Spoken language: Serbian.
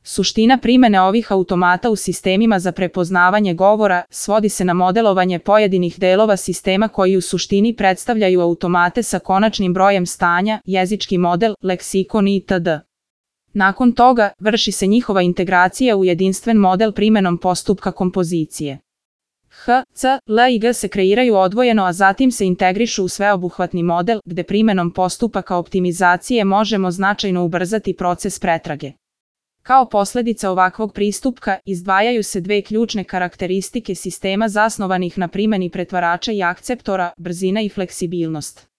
Suština primene ovih automata u sistemima za prepoznavanje govora svodi se na modelovanje pojedinih delova sistema koji u suštini predstavljaju automate sa konačnim brojem stanja, jezički model, leksikon itd. Nakon toga, vrši se njihova integracija u jedinstven model primenom postupka kompozicije. H, C, L i G se kreiraju odvojeno, a zatim se integrišu u sveobuhvatni model, gde primenom postupaka optimizacije možemo značajno ubrzati proces pretrage. Kao posledica ovakvog pristupka, izdvajaju se dve ključne karakteristike sistema zasnovanih na primeni pretvarača i akceptora, brzina i fleksibilnost.